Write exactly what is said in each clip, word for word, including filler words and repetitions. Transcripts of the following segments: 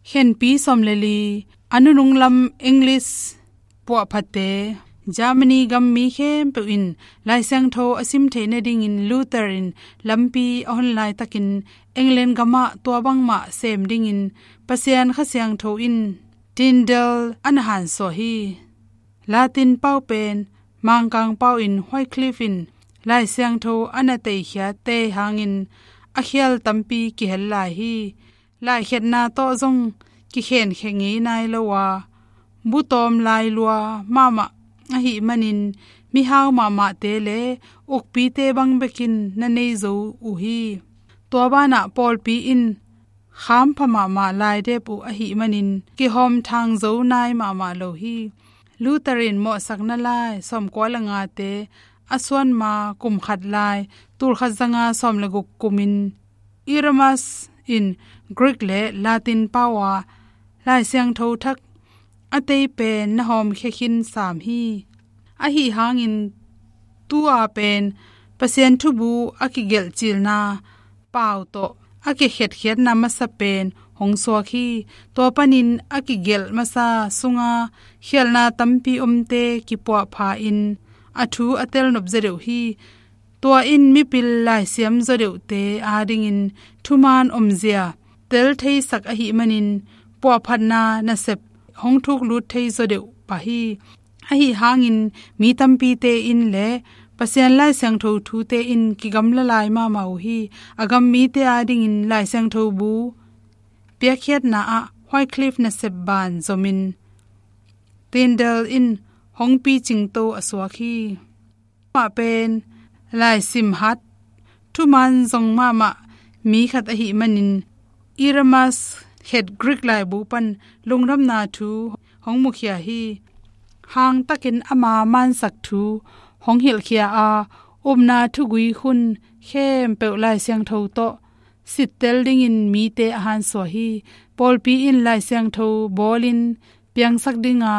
Khenpi sawm le li, a nunung lam English puahphatte, Germany gam mi khempeuh in Lai Siangtho a sim theih nadingin Luther in lampi a hon laitakin England gamah tua bangmah sem dingin Pasian Kha Siangtho in Tyndale a na hansuah hi. Latin pau pen Mangkang pau in Wycliffe in Lai Siangtho a na teikhiatte hangin a khial tampi kihel lai hi. Laikhiatna tawh zong kikhenkhia ngei nai lo a, bu tawm lailua mahmah ahih manin mihau mahmahte le ukpite bang bekin na nei zo uh hi. Tua banah pawlpi in khampha mahmah laidep uh ahih manin kihawm thang zo nai mahmah lo hi. Luther in mawhsakna lai sawmkua le ngate a suan ma kum khat lai, tulkhat zanga sawm le guk kumin Erasmus in Greek le Latin pau a Lai Siangtho thak a tei pen na hawmkhia khin sam hi. Ahi hangin tu-a pen Pasian thubu a kigelh cilna pau tawh a kikhetkhiatna masa pen hong suak hi. Tua panin a kigelh masa sunga khialhna tampi omte kipuahpha in a thu a telnop zaw deuh hi. Tua in mipil laisiam zaw deuhte adingin thuman omzia tel theisak ahih manin puahphatna nasep hong thuklut thei zaw deuh pah hi. Ahi hangin mi tampite in le Pasian Lai Siangtho thute in kigamla lai mahmah uh hi. A gam mite adingin Lai Siangtho bu piakkhiatna ah Wycliffe nasep ban zomin Tyndale in hong picingto a suak hi. Amah pen laisim hat, thuman zong mahmah mi khat ahih manin Erasmus khet Greek laibu pan lungdamna thu hong mukhia hi. Hangtakin ama mansak thu hong hilhkhia a, upna thugui hun khempeuh Lai Siangtho tawh sittel dingin mite a hansuah hi. Pawlpi in Lai Siangtho bawlin piangsak dinga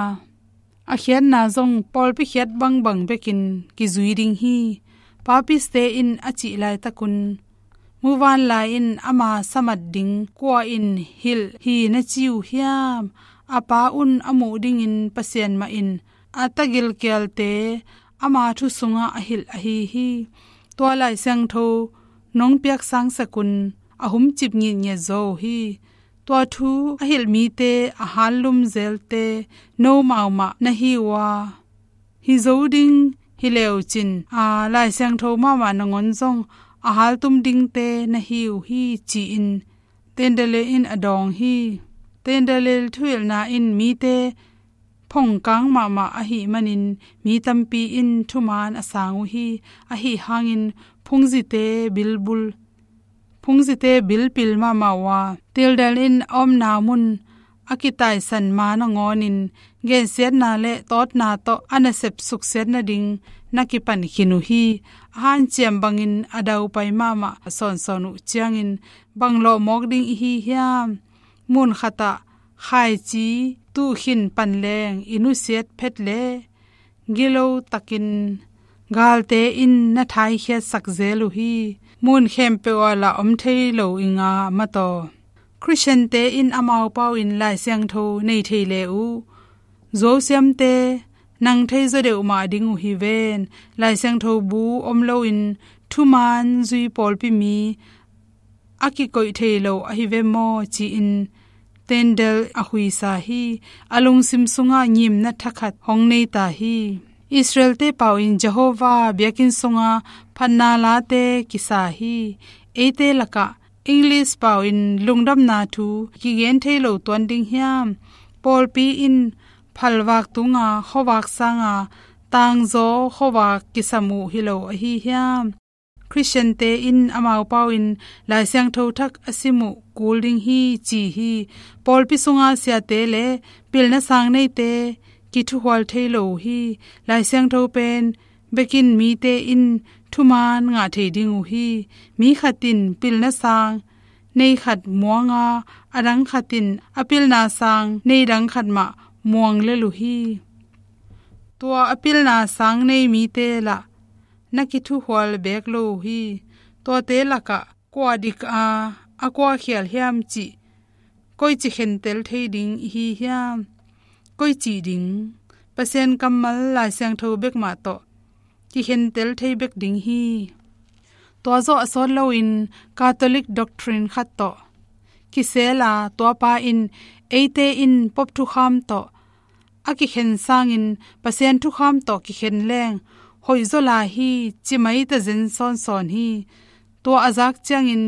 a khiatna zong pawlpi khiat bangbang bekin kizui ding hi. Papiste in a cih laitakun muvanlai in ama samat ding kua in hilh hi na ci uh hiam? A pa un a muh dingin Pasian mah in a tagilkialte ama thu sungah a hilh ahi hi. Tua Lai Siangtho nong piaksang sakun a humcip ngitngiat zaw uh hi. Tua thu a hilh mite a hallum zelte nomau mah na hi uh a, hi zo ding hi leucin a Lai Siangtho mahmah nangawn zong a haltum dingte na hi uh hi, ci-in Tyndale in a dawng hi. Tyndale thuhilhna in mite phongkang mahmah ahih manin mi tampi in thuman a sang uh hi. Ahi hangin phungzite bilbul phungzite bilpil mahmah uh a, Tyndale in a omna mun a kitaisan ma nangawnin gensiatna le tawtna tawh a nasep suksiat nading na kipan khin uh hi. A hanciam bangin a daupai mahmah a sawnsawn uh ciangin bang lawhmawk ding i hi hiam? Mun khatah khaici tuhkhin panleng i nusiat phet le gilo takin galte in na thaikhiatsak zel uh hi. Mun khempeuh ah lah om thei lo i nga mataw. Khristiante in amau pau in Lai Siangtho nei thei le uh. Zuausiamte nang thei zaw deuh mah ding uh hi ven. Lai Siangtho bu om loin thuman zui pawlpi mi a kikoih thei lo ahi ve maw, ci-in Tyndale a huisa hi. A lungsim sungah ngimna thakhat hong nei ta hi. Israelte pau in Jehovah biakinn sunga phatna late kisa hi. Eite lakah English pau in lungdamna thu kigen thei lo tuan ding hiam? Pawlpi in phalvak tunga khuavak sanga tangzaw khuavak kisam uh hi lo ahi hiam? Khristiante in amau pau in Lai Siangtho thak a sim uh kul ding hi, ci hi. Pawlpi sunga siate le pilna sang neite kithuhual thei lo uh hi. Lai Siangtho pen bekin mite in thuman ngah thei ding uh hi. Mi khat in pilna sang nei khat muanga, a dang khat in a pilna sang nei dang khat mah muang lel uh hi. Tua a pilna sang nei mite lah na kithuhual beek lo uh hi. Tuate lakah kua dik a, a kua khial hiam cih koici khentel thei ding i hi hiam? Koici ding? Pasian kammal Lai Siangtho bek mah tawh kikhentel thei bek ding hi. Tua zawh a sawt loin Catholic doctrine khat tawh kisel a, tuapa in eite in Pope thukham tawh a kikhen sangin Pasian thukham tawh kikhen leng hoihzaw lai hi, ci mai tazen sawnsawn hi. Tua a zak ciangin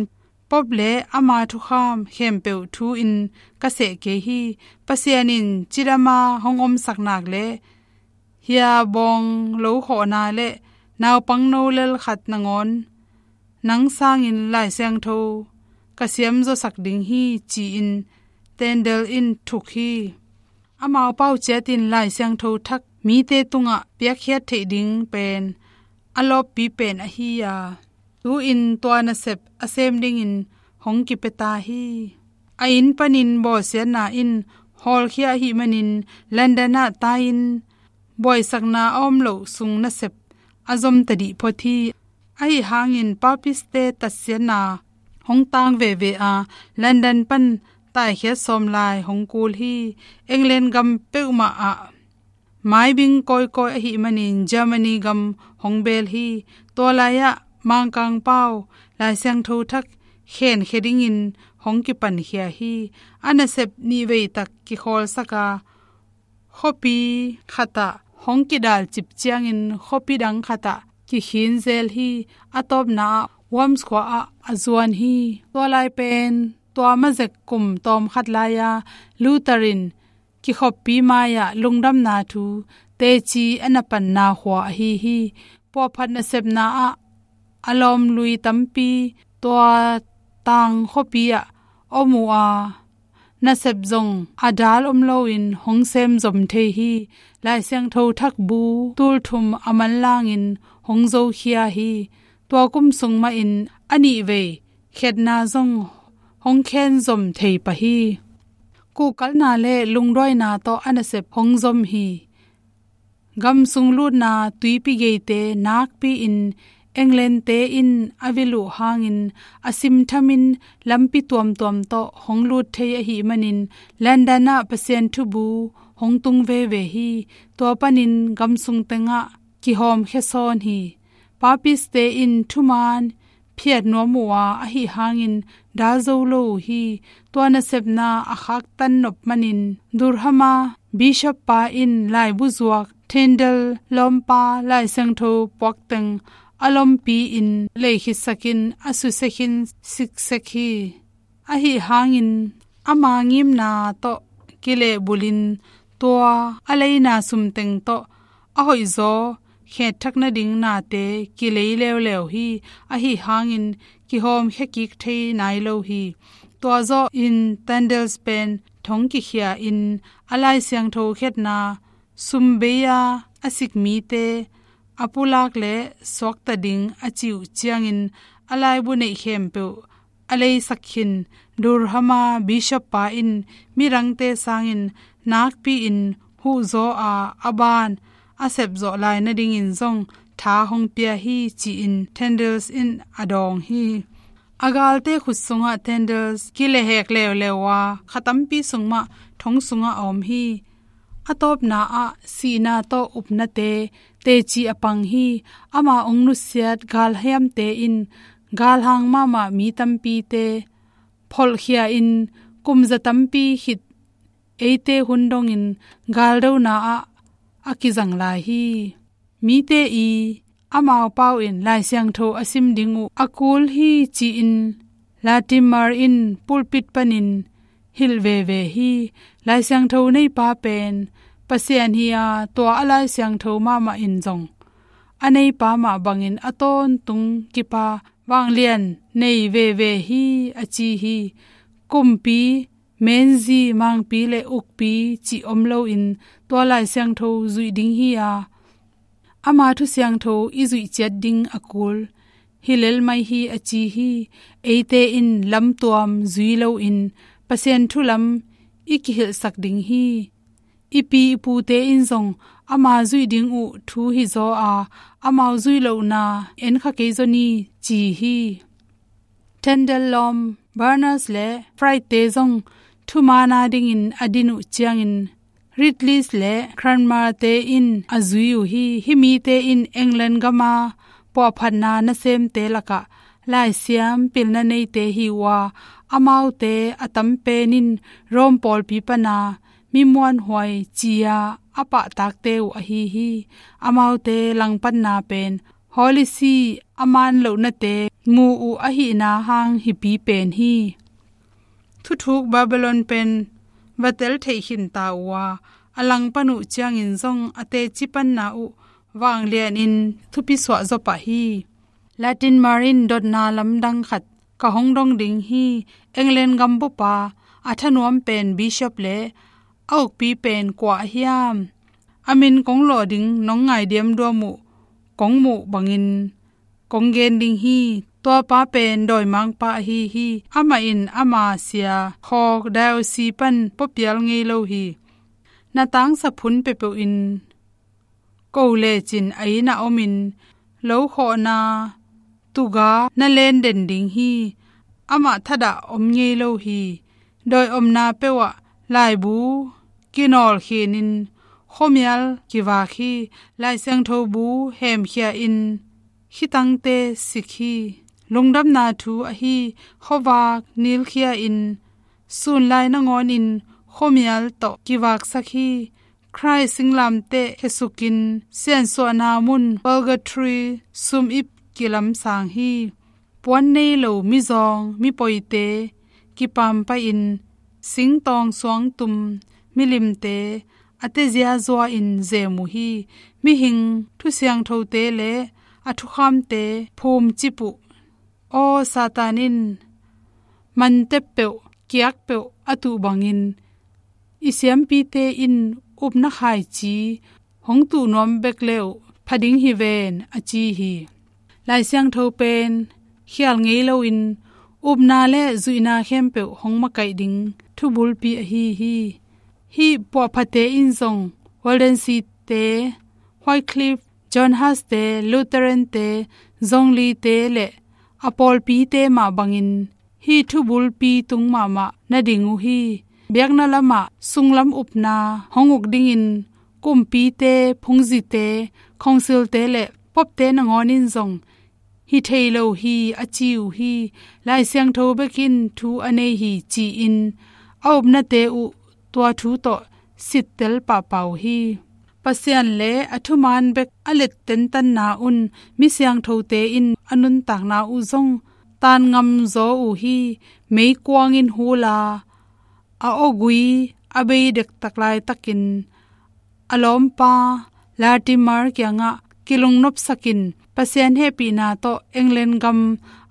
Pope le ama thukham khempeuh thu in ka seh kei hi. Pasian in cidama hong omsak nak le hia bawng lo khawhna le naupang no lel khat nangawn nang sangin Lai Siangtho ka siamzaw sak ding hi, ci-in Tyndale in thuk hi. Amau pau ciatin Lai Siangtho thak mite tungah piakkhiat theih ding pen a lawppi pen ahi a, tu-in tua nasep a sem dingin hong kipia ta hi. A inn panin bawlsiatna in hawlkhia ahih manin London ah tai-in buaisakna a om loh sung nasep a zom tadih phot hi. Ahi hangin Papist-te tatsiatna hong tang veve a, London pan taikhiat sawm lai hong kul hi. England gam peuhmah ah maibing kawikawi ahih manin Germany gam hong beel hi. Tua lai-ah Mangkang pau Lai Siangtho thak khenkhia dingin hong kipankhia hi. A nasep nihvei tak kikhawlsak a, khuapi khatah hong kidalcip ciangin khuapi dang khatah kikhin zel hi. A tawpna ah Worms khua ah a zuan hi. Tua lai pen tua mazek kum tawmkhat lai-a Luther in kikhoppi mai-ah lungdamna thu teci a na panna khua ahi hi. Puahphat nasepna ah a lawmlui tampi tua tang khuapi ah om uh a, nasep zong a dal om loin hong sem zom thei hi. Lai Siangtho thak bu tulthum a manlangin hong zokhia hi. Tua kum sung mahin a nihvei khetna zong hong khen zom thei pah hi. Kuhkalna le lungduaina tawh a nasep hong zom hi. Gam sung lutna tuipi geite nakpi-in England-te in a vil uh hangin a simthamin lampi tuamtuam tawh hong lut thei ahih manin London ah Pasian thubu hong tung veve hi. Tua panin gam sung tengah kihawmkhia sawn hi. Papist-te in thuman phiat nuam uh a, ahi hangin dal zo lo uh hi. Tua nasepna a khaktan nop manin Durham-a Bishop pa in laibu zuak Tyndale lawmpa Lai Siangtho puakteng a lompi-in leikhitsakin a susia khin siksek hi. Ahi hangin ama ngimna tawh kilehbulhin tua a leina sumteng tawh a hoihzaw khetthak nading nate kilei leuleu hi. Ahi hangin kihawmkhia kik thei nai lo hi. Tua zawhin Tyndale pen thong kikhia-in a Lai Siangtho khetna sumbei-a a sik mite a pulak le suakta ding a cih uh ciangin a laibu neih khempeuh a leisak khin. Durham-a Bishop pa in midangte sangin nakpi-in huhzaw a, a ban a sepzawh lai nadingin zong tha hong pia hi, ci-in Tyndale in a dawng hi. A galte khut sungah Tyndale kilehhek leuleu a, kha tampi sung mah thong sungah a om hi. A tawpna ah sihna tawh upnate teci a pang hi. Ama hong nusiat galhiamte in galhang mahmah mi tampite pholhkhia-in kum za tampi khit eite hun dongin galdona ah a kizang lai hi. Mite i amau pau in Lai Siangtho a sim ding uh a kul hi, ci-in Latimer in pulpit panin hilh veve hi. Lai Siangtho neipa pen Pasian hi a, tua a Lai Siangtho mahmah in zong a neipa mah bangin a tawntung kipa vanglian nei veve hi, a ci hi. Kumpi, menzi, mangpi le ukpi cih om loin tua Lai Siangtho zuih ding hi a, ama thu siangtho i zuih ciat ding a kul hi lel mai hi, a ci hi. Eite in lamtuam zui loin Pasian thu lam i kihilhsak ding hi. I pi i pute in zong ama zuih ding uh thu hizaw a, amau zuih lohna en kha kei zaw ni, ci hi. Tyndale lawm Berners le Wright-te zong thumaan a dingin a din uh ciangin Ridley le Cranmer-te in a zui uh hi. Hih mite in England gama puahphatna nasemte lakah laisiam pilna neite hi uh a, amaute a tam pen in Rome pawlpi pana mi muanhuai ci-a a pahtakte uh ahi hi. Amaute langpanna pen Holy See a maan lohnate mu uh ahihna hang hipi pen hi. Thuthuk Babylon pen va tel theih khin ta uh a, a langpan uh ciangin zong a teci panna uh vanglianin thupi suah zaw pah hi. Latimer in dotna lamdang khat ka hong dong ding hi. England gambupa a thanuam pen bishop le a ukpi pen kua a hiam? A min kong lawh ding nong ngai diamduam uh kong muh bangin kong gen ding hi. Tuapa pen dawimangpa ahi hi. Amah in ama sia khawk diocese pan puapial ngei lo hi. Na tangsa phun peuhpeuh in ko lecin a inn ah omin lo khawhna tuga na len den ding hi. Amah thadah om ngei lo hi. Dawi omna peuh ah laibu kinawl khinin khuamial kivak hi. Lai Siangtho bu hemkhia in khitangte sik hi. Lungdamna thu ahi, khuavak nilkhia in sunlai nangawnin khuamial tawh kivaksak hi. Khrih singlamteh khesukin siansuahna mun purgatory sum ip kilamsang hi. Puan nei lo mizawng mipoite kipampai-in singtawng suangtum milimte a tezia zua-in zem uh hi. Mihing thusiangthote le a thukhamte phumcip uh. Aw Satan in mantep peuh kiak peuh a tuh bangin i siampite in upna khaici hong tuh nuam bek le uh pha ding hi ven, a ci hi. Lai Siangtho pen khial ngei loin upna le zuihna khempeuh hong makaih ding thubulpi ahi hi. Hih puahphate in zong Waldenses-te, Wycliffe, John Huss-te, Lutheran-te, Zwinglite le a pawlpite mah bangin hih thubulpi tung mahmah na ding uh hi. Biakna lamah sunglam upna hong uk dingin kumpite, phungzite, council-te le popte nangawn in zong hi thei lo hi, a ci uh hi. Lai Siangtho bek in thu a nei hi ci-in a upnate uh tua thu tawh sittel pahpah uh hi. Pasian le a thumaan bek a let tentanna un mi siangthote in a nuntakna uh zong taan ngam zaw uh hi. Meikuang in hula a awgui a bei dektak laitakin a lawmpa Latimer kiangah kilungnopsakin Pasian hehpihna tawh England gam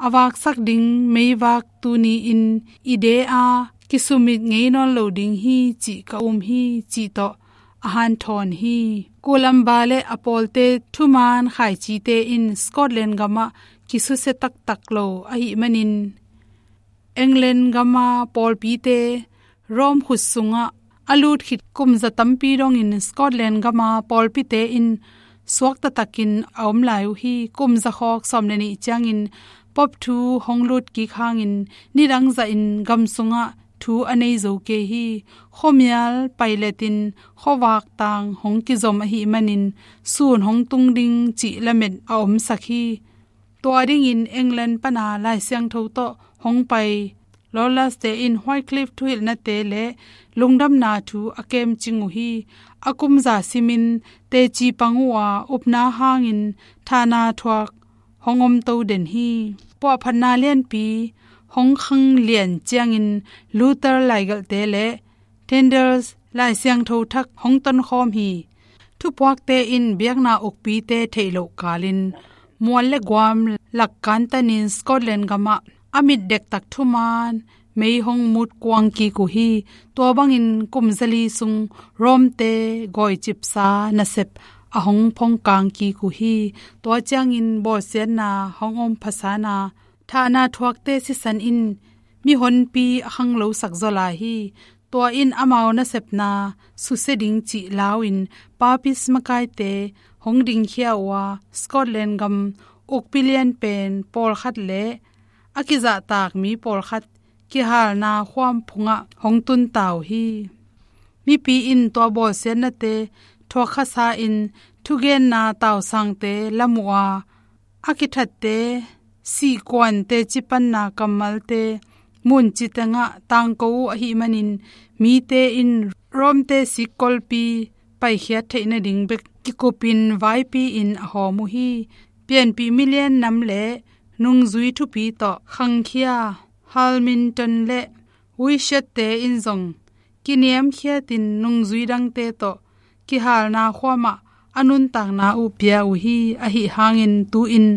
a vaksak ding meivak tuni-in i de a kisumit ngei nawn lo ding hi cih ka um hi, cih tawh a hanthawn hi. Columba le a pawlte thumaan khaicite in Scotland gamah kisusia taktak lo ahih manin England gama pawlpite Rome khut sungah a lut khit kum za tampi dongin Scotland gama pawlpite in suakta takin a om lai uh hi. Kum za khawk sawm le nih ciangin Pope thu hong lut kik hangin nidang zahin gam sungah thu a nei zo kei hi. Khuamial pailetin khuavak tang hong kizom ahih manin sun hong tung ding cih lamet a omsak hi. Tua dingin England pana Lai Siangtho tawh hong pai Loyalist-te in Wycliffe thuhilhnate le lungdamna thu a kemcing uh hi. A kum za simin teci pang uh a, upna hangin thahna thuak hong omto den hi. Puahphatna lianpi hong khang lian ciangin Luther laigelhte le Tyndale Lai Siangtho thak hong tonkhawm hi. Thupuakte in biakna ukpite theih loh kalin mual le guam lak kantanin Scotland gamah a mit dektak thumaan mei hong mut kuang kik uh hi. Tua bangin kum zali sung Rome-te gawicipsa nasep a hong phongkang kik uh hi. Tua ciangin bawlsiatna hong om phasan a, thahna thuakte sisan in mihonpi a khanglosak zaw lai hi. Tua in amau nasepna susia ding cih lau-in Papist makaite hong dingkhia uh a, Scotland gam ukpi lian pen pawlkhat le a kizahtak mi pawlkhat kihalna khuam phungah hong tunta uh hi. Mipi in tua bawlsiatnate thuak khasa-in thugenna tausangte lam uh a, a kithatte sihkuan teci panna kammalte muncitengah tangko uh ahih manin mite in Rome-te sikkolpi paikhiat theih nading bek kikupin vaipi-in a hawm uh hi. Pianpih milian nam le nungzui thupi tawh khangkhia Hamilton le Wycliffe-te in zong kiniamkhiatin nungzui dangte tawh kihalna khuamah a nuntakna uh pia uh hi. Ahi hangin tu-in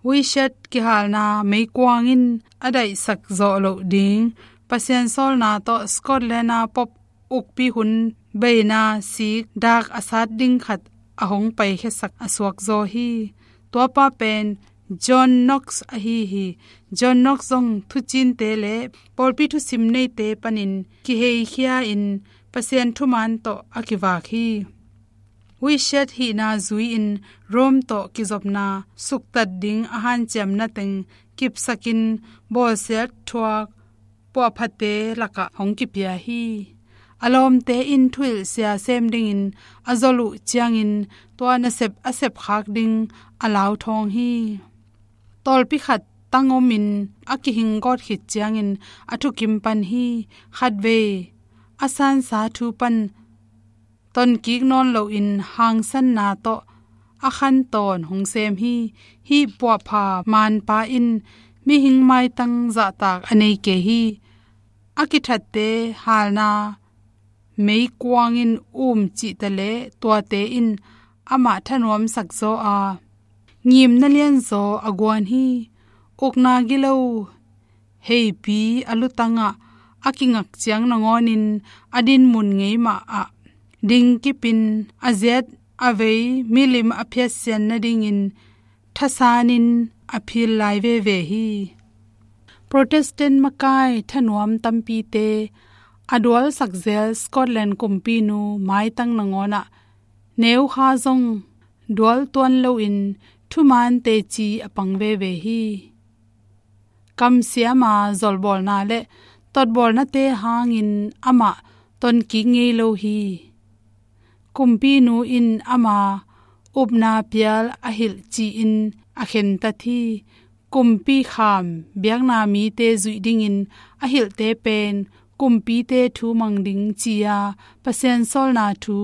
Wycliffe kihalna meikuang in a daihsak zawh loh ding Pasian sawlna tawh Scotland-a Pope ukpi hun beina sik dak a sat ding khat a hong paikhiasak a suakzaw hi. Tuapa pen John Knox ahi hi. John Knox zong thucinte le pawlpi thusim neite panin kiheikhia-in Pasian thuman tawh a kivak hi. Wycliffe hihna zui-in Rome tawh kizopna suktat ding a hanciamna teng kipsakin bawlsiat thuak puahphate lakah hong kipia hi. A lawmte in thuhilhsia sem dingin a zol uh ciangin tua nasep a sepkhak ding a lauthawng hi. Tawlpi khat tangomin a kihinggawt khit ciangin a thukim pan hi. Khatvei a sansa thu pan tonkik nawn loin hangsanna tawh a khantawn hong sem hi. Hih puahpha manpa in mihing maitang zahtak a nei kei hi. A kithatte halna meikuangin um cihta le tuate in amah thanuamsak zaw a, ngimna lianzaw a guan hi. Ukna gilo heipi a lutangah a kingak ciang nangawnin a dinmun ngei mah ah dingkipin a ziat a vei milim a phiatsian nadingin thasanin a phil lai veve hi. Protestant makai thanuam tampite a dualsak zel Scotland kumpinu maitang nangawnah neukha zong dual tuan loin thuman teci a pang veve hi. Kamsiama zolbawlna le totbawlnate hangin amah tonkik ngei lo hi. Kumpinu in ama upna pial a hilh ci-in a khentat hi. Kumpi kham biakna mite zuih dingin a hilhte pen kumpite thu mang ding ci-a Pasian sawlna thu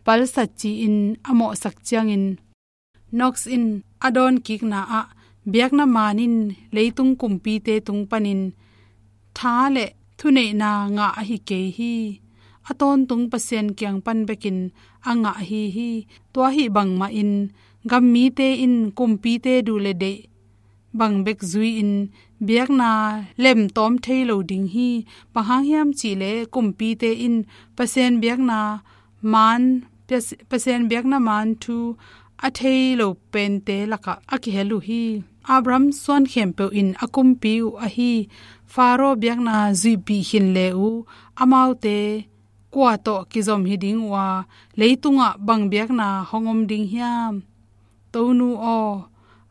palsat ci-in a mawhsak ciangin Knox in a dawnkikna ah biakna man in leitung kumpite tung panin tha le thuneihna ngah ahi kei hi. A tawntung Pasian kiang pan bekin a ngah ahi hi. Tua ahi bangmahin gam mite in kumpite duh le deih bang bek zui-in biakna lemtawm thei lo ding hi. Bang hang hiam cihleh kumpite in Pasian biakna man, Pasian biakna man thu a thei lo pente lakah a kihel uh hi. Abraham suan khempeuh in a kumpi uh ahi Faro biakna zuihpih khin le uh, amaute kua tawh kizom hi ding uh a, leitungah bang biakna hong om ding hiam? Tonu aw,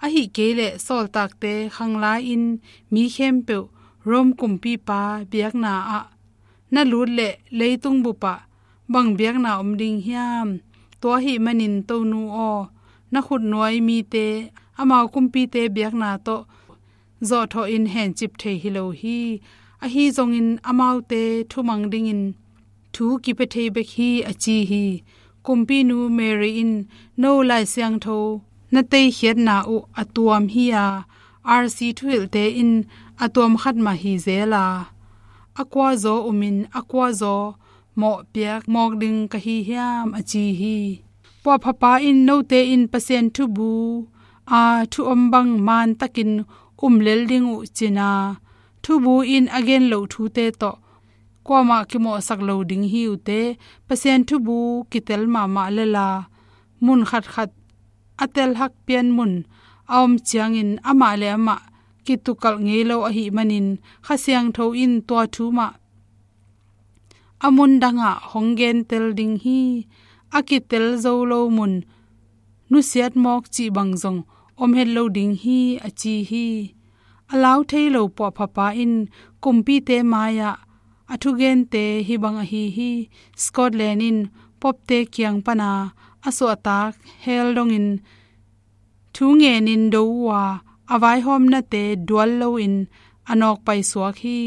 ahi kei leh sawltakte khanglai-in mi khempeuh Rome kumpipa biakna ah na lut leh leitung bupah bang biakna om ding hiam? Tua ahih manin Tonu aw, na khutnuai mite amau kumpite biakna tawh zawhthawhin hencip thei hi lo hi. Ahi zongin amaute thumang dingin thu kipia thei bek hi, a ci hi. Kumpinu Mary in no Lai Siangtho na teikhiatna uh a tuam hi a, R C thuhilhte in a tuam khat mah hi zel a, a kuazaw umin a kuazaw mawhpiak mawk ding ka hi hiam, a ci hi. Puahphapa in note in Pasian thubu a thu om bang mantakin um lel ding uh cina, thubu in a gen loh thute tawh kuamah kimawhsak lo ding hi uh teh, Pasian thubu kitel mahmah lel a, mun khatkhat a telhak pian mun a om ciangin amah le amah kitukalh ngei lo ahih manin Kha Siangtho in tua thu mah a mun dangah hong gentel ding hi. A kitel zo lo mun nusiat mawk cih bang zong om het lo ding hi, a ci hi. A lau thei lo puahphapa in kumpite mai-ah a thugente hih bang ahi hi. Scotland in Pope-te kiang pana a suahtak hell dongin thu ngenin do uh a, a vaihawmnate dual loin a nawkpai suak hi.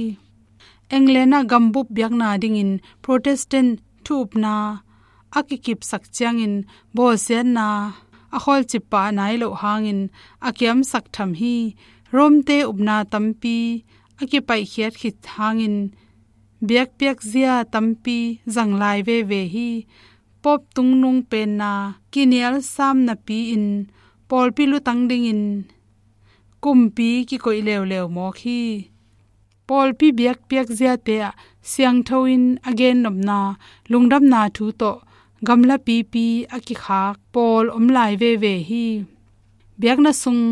England ah gambup biakna dingin Protestant thu upna a kikipsak ciangin bawlsiatna a khawlcip pah nai loh hangin a kiamsak tham hi. Rome-te upna tampi a kipaihkhiat khit hangin biakpiakzia tampi zang lai veve hi. Pope tungnung penna kinial sam napi-in pawlpi lutang dingin kumpi kikoih leuleu mawk hi. Pawlpi biakpiakziate ah siangtho in a gennopna, lungdamna thu tawh gamla pipi a kikhak pawl om lai veve hi. Biakna sung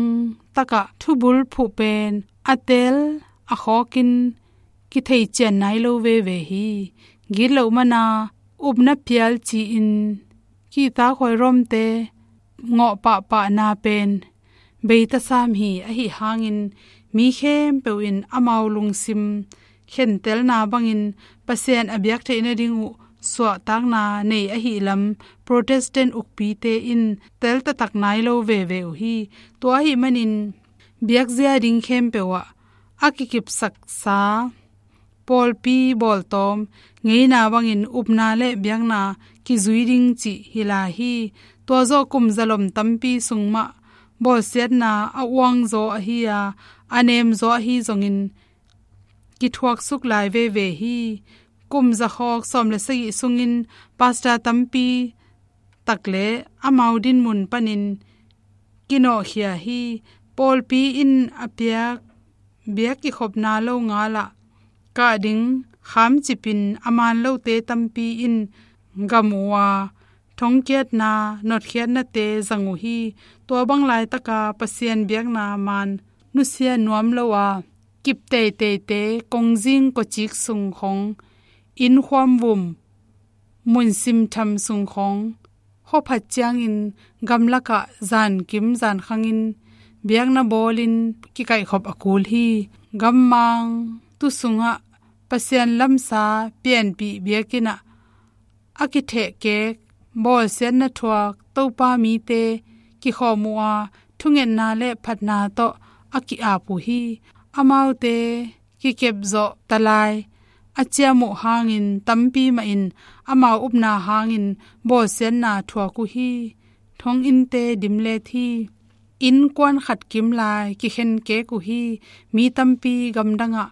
takah thubul phuh pen a tel a khawkin kithei cian nai lo veve hi. Gitloh mana upna phial ci-in kihtakhuai Rome-te ngawh pahpahna pen beitasam hi. Ahi hangin mi khempeuh in amau lungsim khentelna bangin Pasian a biak theih nading uh suahtakna nei ahi lam Protestant ukpite in teltatak nai lo veve uh hi. Tua ahi manin biakzia ding khempeuh ah a kikipsaksa pawlpi bawltawm ngeina bangin upna le biakna kizui ding cih hi lai hi. Tua zawh kum zalom tampi sung mah bawlsiatna a uangzaw ahi a, a nemzaw ahi zongin kithuaksuk lai veve hi. Kum zakhawk sawm le sagih sungin pastor tampi tak le amau dinmun panin kinawhkhia hi. Pawlpi in a piak biak kikhopna lo ngalah kah ding khamcipin a man lote tampi in gam uh a, thongkiatna notkhiatnate zang uh hi. Tua bang laitaka Pasian biakna man nusia nuam lo a, kip teiteite, kongzing kawcik sung khong, innkhuam vum, mun simtham sung khong, khuaphat ciangin gamlakah zankim zankhangin biakna bawlin kikaihkhop a kul hi. Gammang tu sungah Pasian lamsa pianpih biakinn ah a kithehkek, bawlsiatna thuak Topa mite kikhawm uh a, thungetna le phatna tawh a ki-ap uh hi. Amaute kikepzawh talai a ciam uh hangin tampi mahin amau upna hangin bawlsiatna thuak uh hi. Thonginnte dimlet hi. Innkuan khat kim lai kikhenkek uh hi. Mi tampi gamdangah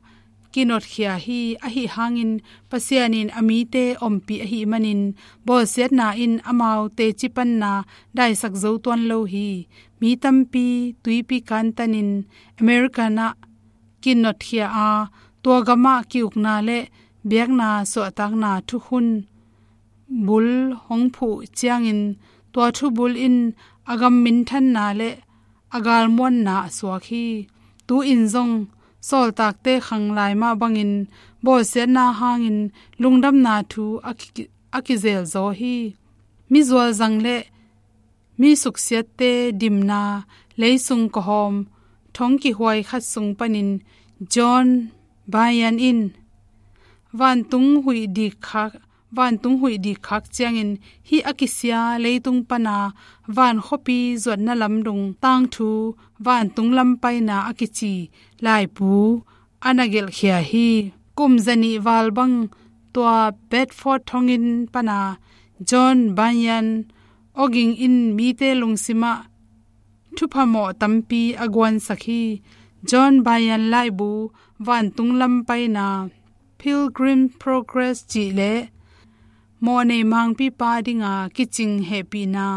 kinotkhia hi. Ahi hangin Pasian in a mite ompih ahi manin bawlsiatna in amau tecipanna daisak zo tuan lo hi. Mi tampi tuipi kantanin American ah kinotkhia a, tua gamah ki-ukna le biakna suahtakna thukhun bul hong phuh ciangin tua thubul in a gam minthanna le a galmuanna a suak hi. Tu-in zong sawltakte khang lai mah bangin bawlsiatna hangin lungdamna thu a ki-, a kizelzaw hi. Mizualzang le mi suksiatte dimna leisung kawhawm thong kihuai khat sung panin John Bunyan in vantung huih dik khak, vantung huih dik khak ciangin hih a kisia leitung pana van khuapi zuatna lam dong tangthu vantung lam paina a kici laibu a na gelhkhia hi. Kum zanih val bang tua Bedford thonginn pana John Bunyan awging in mite lungsimah thuphamawh tampi a guansak hi. John Bunyan laibu vantung lam paina Pilgrim Progress cih le mawhnei mangpipa dinga kicing hehpihna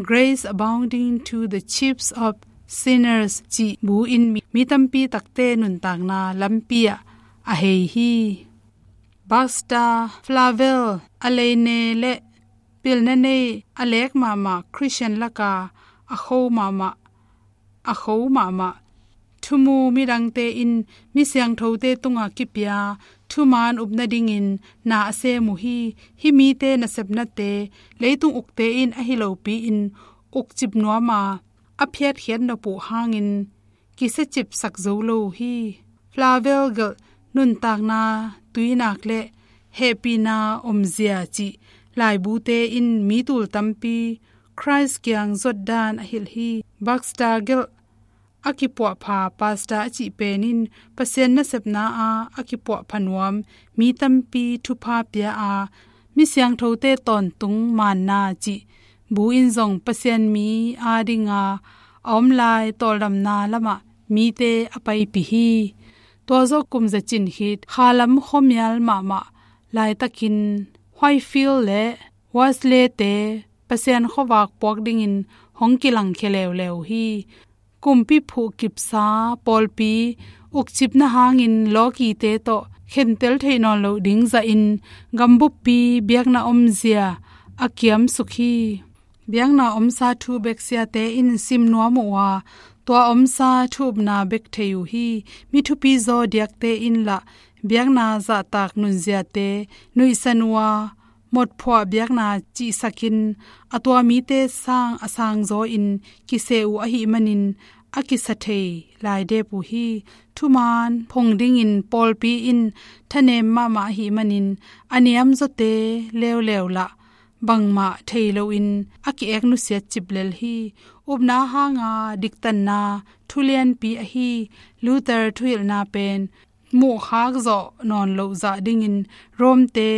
Grace Abounding to the Chiefs of Sinners cih bu in mi, mi tampi takte nuntakna lampi ah a hei hi. Baxter Flavel a leine le pilna nei a lek mahmah Christian laka a kho mahmah a kho mahmah thumu midangte in mi siangthote tunga kipia thuman up nadingin na a sem uh hi. Hih mite nasepnate leitung ukte in ahi lopi-in ukcip nuama a phiatkhiat nop uh hangin kisiacipsak zo lo uh hi. Flavel gelh nuntakna tuinak le hehpihna omzia cih laibute in mi tul tampi Khrist kiang zuat dan a hilh hi. Baxter gelh a kipuahpha pastor a cih pen in Pasian nasepna a a kipuahpha nuam mi tampi thupha pia a, mi siangthote tawntung manna cih bu in zong Pasian mi adinga a om lai tawldamna lamah mite a paipih hi. Tua zawh kum zacin khit khalam khuamial mahmah laitakin Whitefield le Wesley-te Pasian khuavak puak dingin hong kilangkhia leuleu hi. Kumpi phuh kipsa pawlpi ukcipna hangin lawkite tawh khentel theih nawn loh ding zahin gambuppi biakna omzia a kiamsuk hi. Biakna omsa thu bek siate in sim nuam uh a, tua omsa thu upna bek thei uh hi. Mi thupi zaw diakte in lah biakna zahtak nunziate nuihsan uh a, motphuah biakna cihsakin a tua mite sang a sangzaw in kiseh uh ahih manin a kisa thei lai dep uh hi. Thumaan phong dingin pawlpi in thanem mahmah ahih manin a niamzawte leuleu lah bangmah thei loin a ki-ek nusiat cip lel hi. Upna hanga diktanna thulianpi ahi Luther thuhilhna pen muhkhak zawh nawn loh zah dingin Rome-te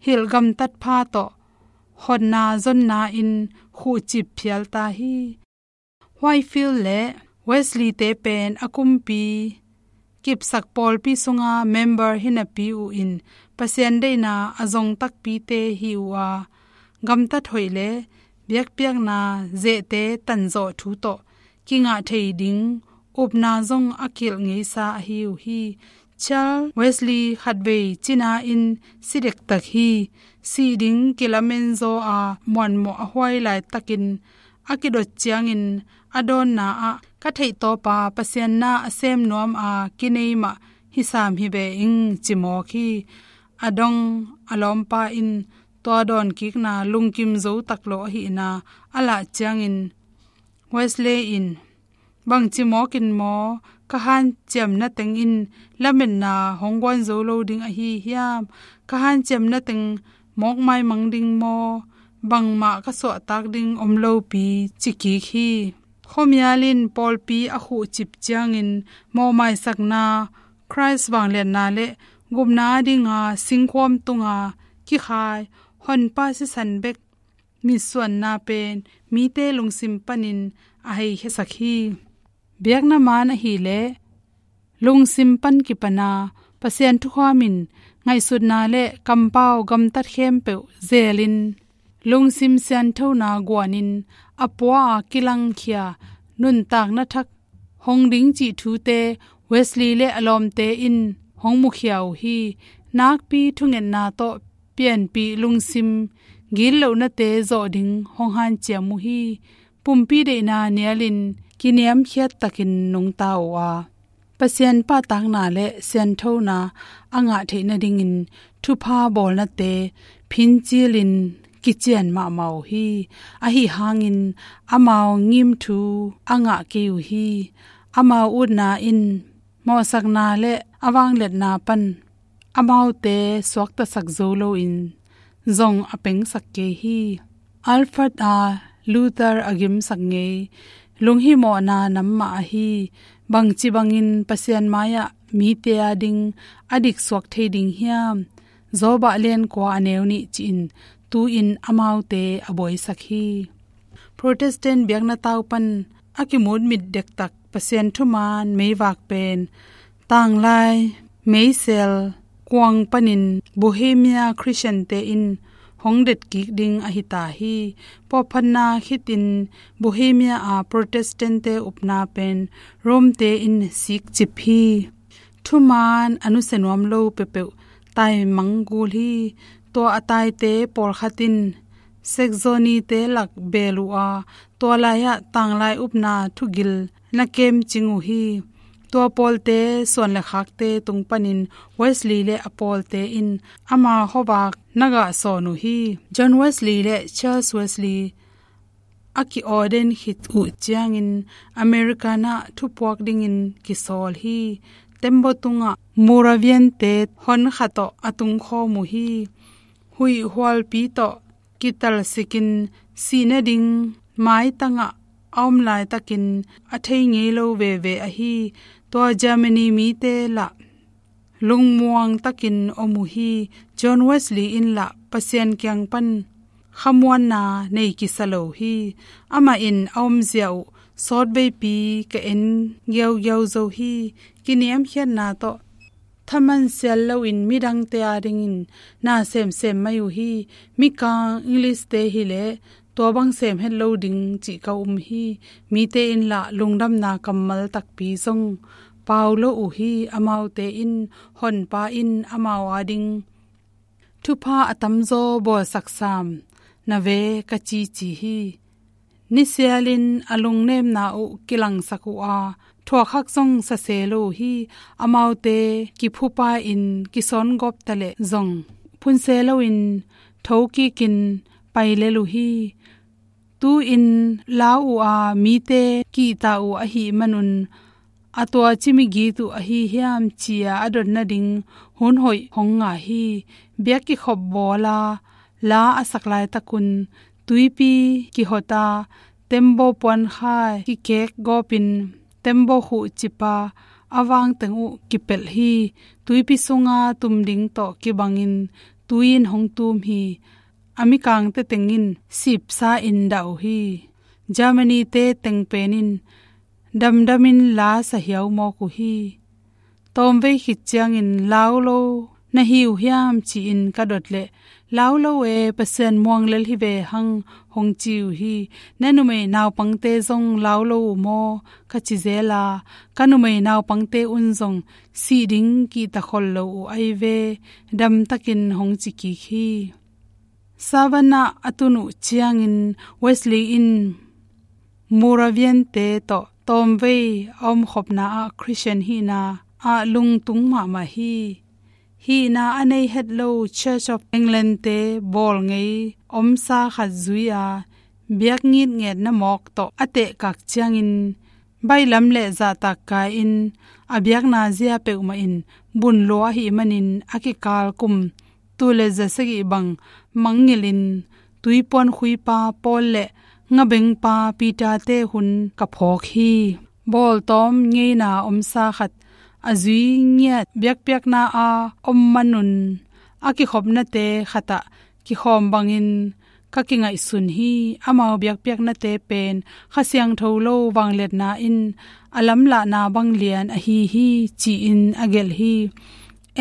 hilh gamtat pha tawh hotna zonna in khuhcip phial ta hi. Whitefield le Wesley-te pen a kumpi kipsak pawlpi sunga member hi napi uh in Pasian deihna a zong takpite hi uh a, gamtat hoih le biakpiakna zehte tanzawh thu tawh kingah thei ding upna zong a kilh ngeisa ahi uh hi. Charles Wesley khatvei cina in si dektak hi. Sih ding kilamen zaw a muanmawh a huai laitakin a kidot ciangin a dawnna ah ka theihtawpa Pasian na a sem nuam a kinei mah hi sam hi ve ing ci mawk hi. A dong a lawmpa in tua dawnkikna lungkim zo tak lo ahihna a lah ciangin Wesley in bangci mawkin maw ka hanciamna teng in lametna hong guan zo lo ding ahi hiam? Ka hanciamna teng mawk maimang ding maw? Bangmah ka suahtak ding om lopi ci kik hi. Khuamial in pawlpi a khuhcip ciangin mawhmaisakna Khrist vangliatna le gupna dinga singkhuam tunga kikhai honpa sisan bek mitsuanna pen mite lungsim panin a heikhiasak hi. Biakna maan ahileh lungsim pan kipana Pasian thukham in ngaihsutna le kampau gamtat khempeuh zelin lungsim sianthona guanin a pua a kilangkhia nuntakna thak hong ding cih thute Wesley le a lawmte in hong mukhia uh hi. Nakpi thungetna tawh pianpih lungsim gitlohnate zawh ding hong hanciam uh hi. Pumpi deihna nialin kiniamkhiat takin nungta uh a, Pasian pahtakna le sianthona a ngah theih nadingin thupha bawlnate phincilin kician mahmah uh hi. Ahi hangin amau ngimthu a ngah kei uh hi. Amau utna in mawhsakna le a vangliatna pan amaute suaktasak zo loin zong a pengsak kei hi. Alfred a Luther a gimsak ngei lunghimawhna nam mah ahi. Bangci bangin Pasian mai-ah mite a ding a diksuak thei ding hiam? Job ah lian kua a neu nih ci-in tu-in amaute a buaisak hi. Protestant biakna tau pan a kimut mit dektak Pasian thuman meivak pen tanglai meisel kuang panin Bohemia Christian-te in hong detkik ding ahi ta hi. Pawlphatna khitin Bohemia a Protestant-te upna pen Rome-te in sikcip hi. Thuman a nusia nuam lo peuhpeuh taimang gul hi. Tua a taite pawlkhat in Saxony-te lak beel uh a, tua lai-ah tanglai upna thugil na kemcing uh hi. Tua pawlte suan le khakte tung panin Wesley le a pawlte in ama khuavak na gah sawn uh hi. John Wesley le Charles Wesley a ki-ordain khit uh ciangin American ah thupuak dingin kisawl hi. Tembaw tungah Moravian-te hon khat tawh a tungkhawm uh hi. Huih hualpi tawh kitalsikin sih nading maitangah a om laitakin a thei ngei lo veve ahi. Tua Germany mite lah lungmuang takin om uh hi. John Wesley in lah Pasian kiang pan khamuanna nei kisa lo hi. Amah in a omzia uh sawtveipi ka en giaugiau zo hi. Kiniamkhiatna tawh thaman sial loin midangte adingin na semsem mai uh hi. Mikang English-te hileh tua bang sem het lo ding cih ka um hi. Mite in lah lungdamna kammal takpi zong pau lo uh hi. Amaute in Honpa in amau ading thupha a tamzaw bawlsak sam na ve ka cici hi. Nisialin a lungnemna uh kilangsak uh a, thuakhak zong sase lo uh hi. Amaute kiphupa-in kisawn gawp taleh zong phunse loin thokikin pai lel uh hi. Tu-in lau uh a, mite kihta uh ahih manun a tua ci migit uh ahi hiam ci-a a dot nading hun hoih hong ngah hi. Biak kikhop bawla la a sak laitakun tuipi kihota, tembaw puankhai kikek gawpin tembaw khuh cipa a vangteng uh kipelh hi. Tuipi sunga tum ding tawh kibangin tui in hong tum hi. A mikangte tengin sipsa in dah uh hi. Germany-te teng penin damdamin la sahiau mawk uh hi. Tawmvei khit ciangin lau lo na hi uh hiam ci-in ka dot leh, lau lo e, Pasian muang lel hi ve hang, hong ci uh hi. Na numei naupangte zong lau lo uh maw ka ci zel a, ka numei naupangte un zong sih ding kihta khol lo uh ahi ve, damtakin hong ci kik hi. Savannah a tun uh ciangin Wesley in Moravian-te tawh tawmvei a omkhopna ah Christian hihna ah lungtung mahmah hi. Hihna a nei het lo Church of England-te bawl ngei omsa khat zui-a biak ngitngetna mawk tawh a tehkak ciangin baihlam le zahtak kai-in a biakna zia peuhmah in bun lua ahih manin a kikal kum tul le za sagih bang mangngilhin tuipuan khuipa Paul le ngabengpa Peter-te hun ka phawk hi. Bawltawm ngeina omsa khat a zui ngiat biakpiakna a om manun a kikhopnate khatah kikhawm bangin ka kingaihsun hi. Amau biakpiaknate pen Kha Siangtho lo vangliatna in a lamlahna bang lian ahi hi, ci-in a gelh hi.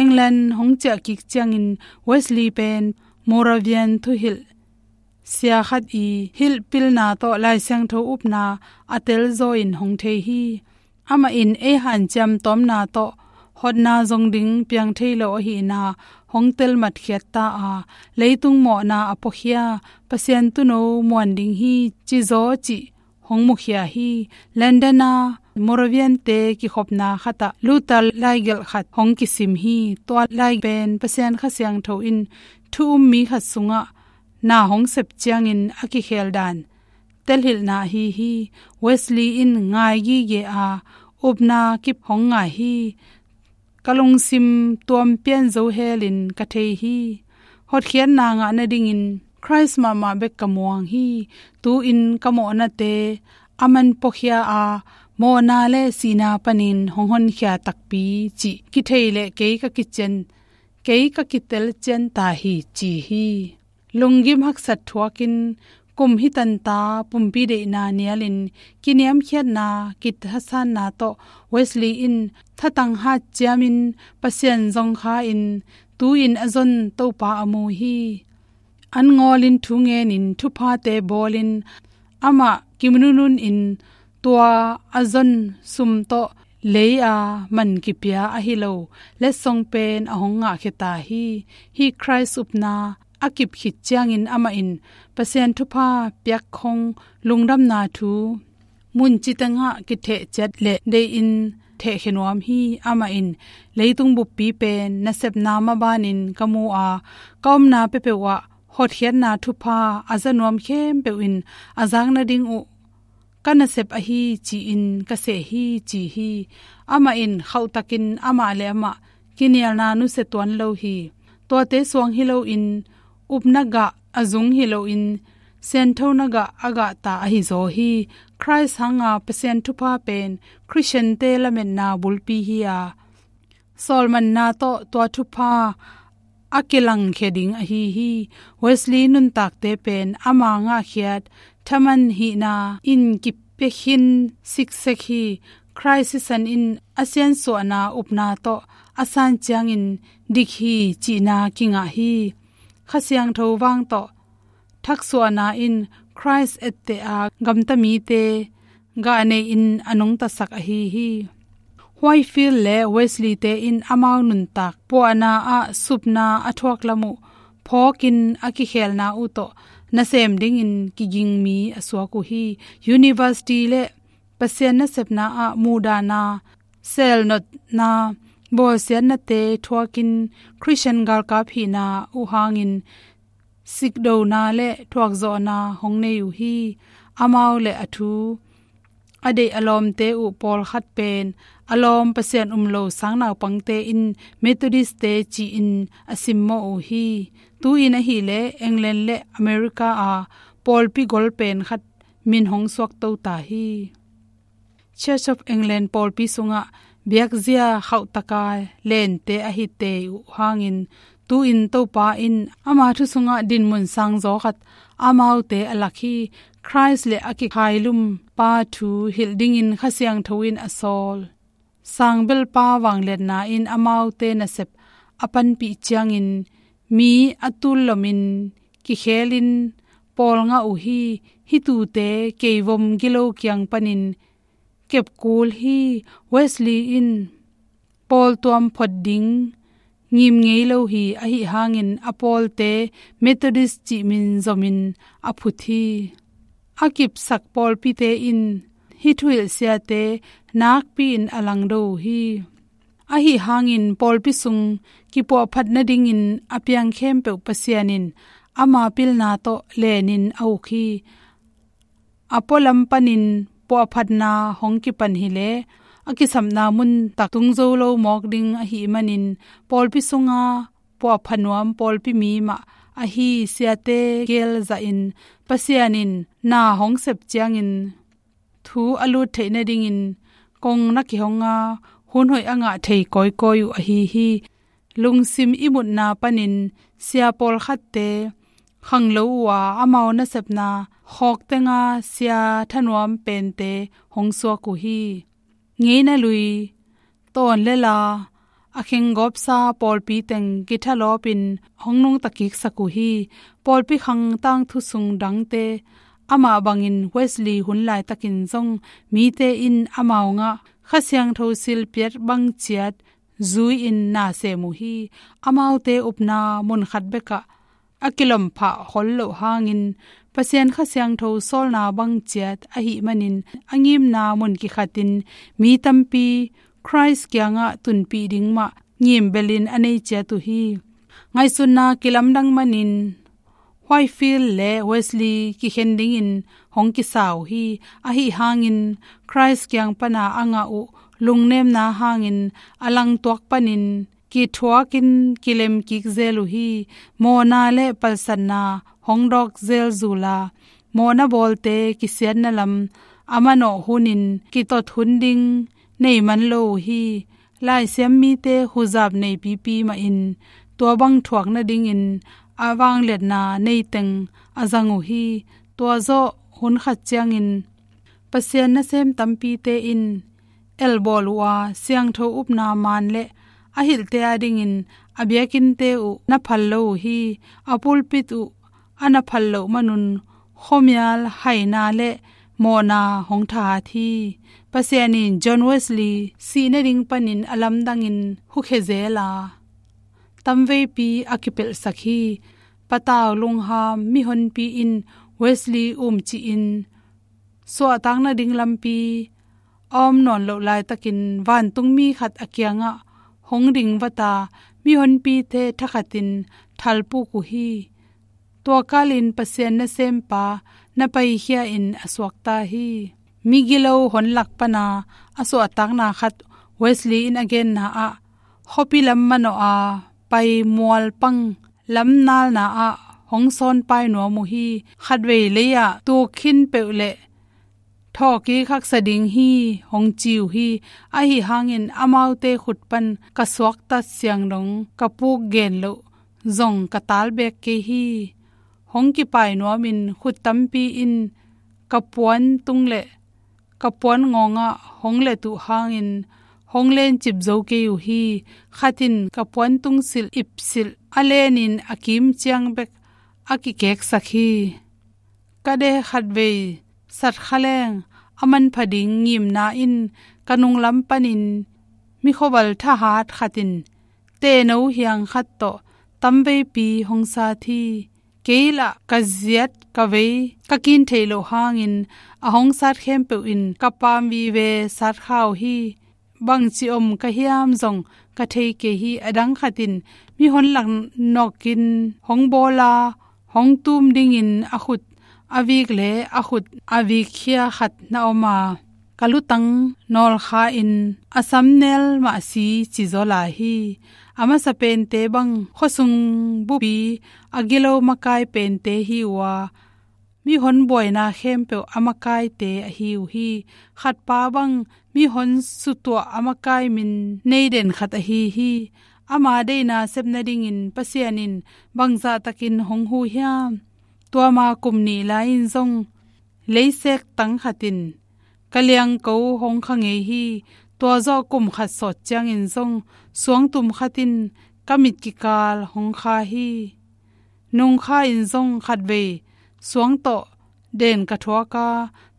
England hong ciah kik ciangin Wesley pen Moravian thuhilh sia khat i hilhpilna tawh Lai Siangtho upna a telzaw in hong thei hi. Amah in ei hanciam tawmna tawh hotna zong ding piang thei lo ahihna hong telmatkhiat ta a, leitung mawhna a puakhia Pasian tuuno muan ding hi cizaw cih hong mukhia hi. London a Moravian-te kikhopna khatah Luther laigelh khat hong kisim hi. Tua lai pen Pasian Kha Siangtho in thu um mi khat sungah na hong sep ciangin a kikhel dan telhilhna ahi hi. Wesley in ngai gige a, upna kip hong ngai hi. Ka lungsim tuam pian zo helin ka thei hi. Hotkhiatna ngah nadingin Christ mahmah bek ka muang hi. Tu-in ka mawhnate a man puakhia a, mawhna le sihna panin hong honkhia takpi cih kithei le kei ka kician, kei ka kitel cian ta hi, ci hi. Lunggim haksat thuakin kum hi tanta pumpi deihna nialin kiniamkhiatna kithasanna tawh Wesley in thatang hat ciamin Pasian zong kha-in tu-in a zon Topa a mu hi. An ngawlin thu ngenin thuphate bawlin amah kimunununin tua a zon sum tawh lei a man kipia ahi lo letsong pen a hong ngahkhia ta hi. Hih Christ upna a kip khit ciangin amah in Pasian thupha piak khong lungdamna thu mun citengah kitheh ciat le deihin thehkhia nuam hi. Amah in leitung buppi pen nasepna mabanin ka mu a, ka omna peuhpeuh ah hotkhiatna thupha a za nuam khempeuh in a zak nading uh ka nasep ahi ci-in ka seh hi, ci hi. Amah in khauhtakin amah le amah kinialna nusia tuan lo hi. Tuate suang hi loin upna gah a zung hi loin sianthona gah a gahta ahi zaw hi. Khrist hanga Pasian thupha pen Khristiante lametna bulpi hi a, sawlmanna tawh tua thupha a kilangkhia ding ahi hi. Wesley nuntakte pen ama ngahkhiat thaman hihna in kipia khin siksek hi. Khrist sisan in a siansuahna upna tawh a san ciangin dik hi cihna kingah hi. Kha Siangtho vang tawh thaksuahna in Khrist etteh a gamta mite gah nei-in a nungtasak ahi hi. Whitefield le Wesley-te in amau nuntak puahna ah supna a thuak lam uh phawkin a kikhelna uh tawh nasem dingin kiging mi a suak uh hi. University le Pasian nasepna ah muhdahna, selnotna, bawlsiatnate thuakin Khristian galkap hihna uh hangin sikdona le thuakzawhna hong nei uh hi. Amau le a thu a deih a lawmte uh pawlkhat pen a lawm Pasian um lo sangnaupangte in Methodist-te ci-in a simmawh uh hi. Tu-in ahileh England le America a pawlpi gol pen khat min hong suakto ta hi. Church of England pawlpi sungah biakzia khauhtaka lente ahi tei uh hangin tu-in Topa in ama thu sungah dinmun sangzaw khat amaute a lak hi. Khrist le a kikhailum pa thu hilh dingin Kha Siangtho in a sawl sangbelpa vangliatna in amaute nasep a panpih ciangin mi a tul lomin kikhelin pawl ngah uh hi. Hih thute keivom gilo kiang panin kepkul hi. Wesley in pawl tuam phot ding ngim ngei lo hi. Ahi hangin a pawlte Methodist cih min zomin a phut hi. A kipsak pawlpite in hih thuhilh siate nakpi-in a langdo uh hi. Ahi hangin pawlpi sung kipuahphat nadingin a piang khempeuh Pasian in ama pilna tawh lenin a uk hi. A pualam panin puahphatna hong kipan hileh a kisapna mun tak tung zo lo mawk ding ahih manin pawlpi sunga puahpha nuam pawlpi mi mah ahi siate gel zahin Pasian in na hong sep ciangin thu a lut theih nadingin kong na kihong a hun hoih a ngah thei kawikawi uh ahi hi. Lungsim ihmutna panin sia pawlkhatte khanglo uh a, amau nasepna khawk tenga sia thanuam pente hong suak uh hi. Ngeina lui, tawn le la, a khenggawpsa pawlpi teng kithalawpin hong nungta kiksak uh hi. Pawlpi khang tangthu sung dangte amah bangin Wesley hun laitakin zong mite in amau ngah Kha Siangtho silpiat bang ciat zui-in na sem uh hi. Amaute upna mun khat bekah a kilomphah khol loh hangin Pasian Kha Siangtho sawlna bang ciat ahih manin a ngimna mun kikhatin mi tampi Khrist kiangah tunpih ding mah ngimbelin a nei ciat uh hi. Ngaihsutna kilamdang manin Whitefield le Wesley kikhen dingin hong kisa uh hi. Ahi hangin Khrist kiang pana a ngah uh lungnemna hangin a langtuak panin kithuakin kilem kik zel uh hi. Mawhna le palsatna hong dawk zel zula mawhna bawlte kisiatna lam a manawh hunin kitot hun ding nei man lo uh hi. Laisiam mite huzap neipipi mahin tua bang thuak nadingin a vangliatna neiteng a zang uh hi. Tua zawh hun khat ciangin Pasian nasem tampite in elbawl uh a, siangtho upna maan le a hilhte adingin a biakinnte uh na phal lo uh hi. A pulpit uh a na phal loh manun khuamial haina le mawhna hong thahat hi. Pasian in John Wesley sih nading panin a lamdangin hukhia zel a, tamveipi a kipelhsak hi. Patau lungham mihonpi in Wesley umcihin suahtak nading lampi a om nawn loh laitakin vantungmi khat a kiangah hong ding vata mihonpite thakhatin thalpuk uh hi. Tua kalin Pasian nasempa na paikhia in a suakta hi. Migilo hon lak pana a suahtakna khat Wesley in a genna ah, khuapi lam manawh a pai mualpang lamnalna ah hong sawnpai nuam uh hi. Khatvei lei-ah tuk khin peuh le thawhkik haksa ding hi hong ci uh hi. Ahi hangin amaute khut pan ka suaktat siang dong ka puk gen loh zong ka tal beek kei hi. Hong kipai nuamin khut tampi in ka puan tung le ka puan ngawngah hong let uh hangin hong lencip zo kei uh hi. Khat in ka puan tung silh ip silh a lenin a kim ciang bek a kikeksak hi. Ka de khatvei sat kha leng a manpha ding ngimna in ka nunglam panin mikhuaval thahat khat in tehno hiang khat tawh tamveipi hong sat hi. Kei lah ka ziat ka vei ka kin theih loh hangin a hong sat khempeuh in ka pam vive sat kha uh hi. Bangci om ka hiam zong ka thei kei hi. A dang khat in mihon lak nawkin hong bawla hong tum dingin a khut a vik le a khut a vikkhia khat na om a, ka lutang nawlkha in a samnel mah si ci zaw lai hi. A masa pente bang khuasung bupi a gilo makai pente hi uh a, mihon buaina khempeuh a makaite ahi uh hi. Khatpa bang mihon sutuah a makai min nei den khat ahi hi. Ama deihna sep nadingin Pasian in bangzah takin hong hu hiam? Tua ma kum nih lai-in zong leisek tang khat in ka liangko hong kha ngei hi. Tua zawh kum khat sawt ciangin zong suangtum khat in ka mit kikal hong kha hi. Nungkha in zong khatvei suang tawh den ka thuak a,